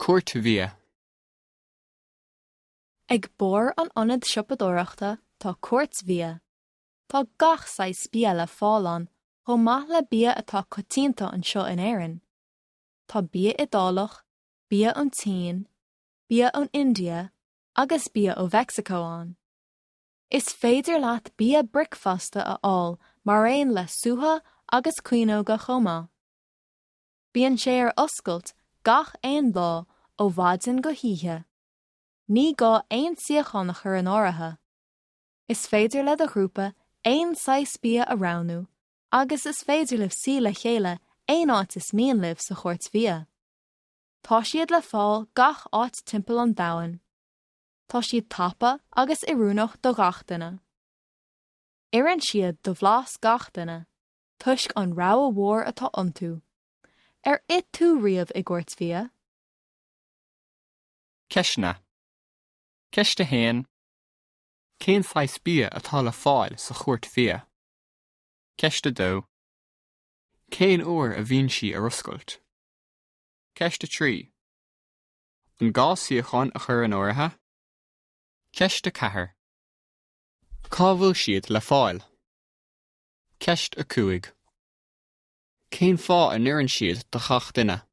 Cúirt bhia. Ag barr an ionaid siopadóireachta tá cúirt bhia. Tá gach saghas bia le fáil ann chomh maith le bia atá coitianta anseo in Éirinn. Tá bia Iodálach, bia ón tSín, bia ón India agus bia ó Mheicsiceo ann. Is féidir leat bia bricfeasta a fháil mar aon le sútha agus caoineoga chomh maith. Bíonn sé ar oscailt gach aon lá ó mhaidin go hoíche. Ní gá aon suíochán a chur in áirithe. Is féidir le do ghrúpa aon saghas bia a roghnú agus is féidir libh suí le chéile aon áit is mian libh sa chúirt bhia. Tá siad le fáil gach áit timpeall an domhain. Tá siad tapa agus oiriúnach do gach duine. Oireann siad do bhlas gach duine, toisc an rogha mhór atá iontu. Ar ith tú riamh i gcúirt bhia? Ceisteanna. Ceist 1. Cén saghas bia atá le fáil sa chúirt bhia? Ceist 2. Cén uair a bhíonn sí ar oscailt? Ceist 3. An gá suíochán a chur in áirithe? Ceist 4. Cá bhfuil siad le fáil? Ceist 5. Cén fáth a n-oireann siad do gach duine?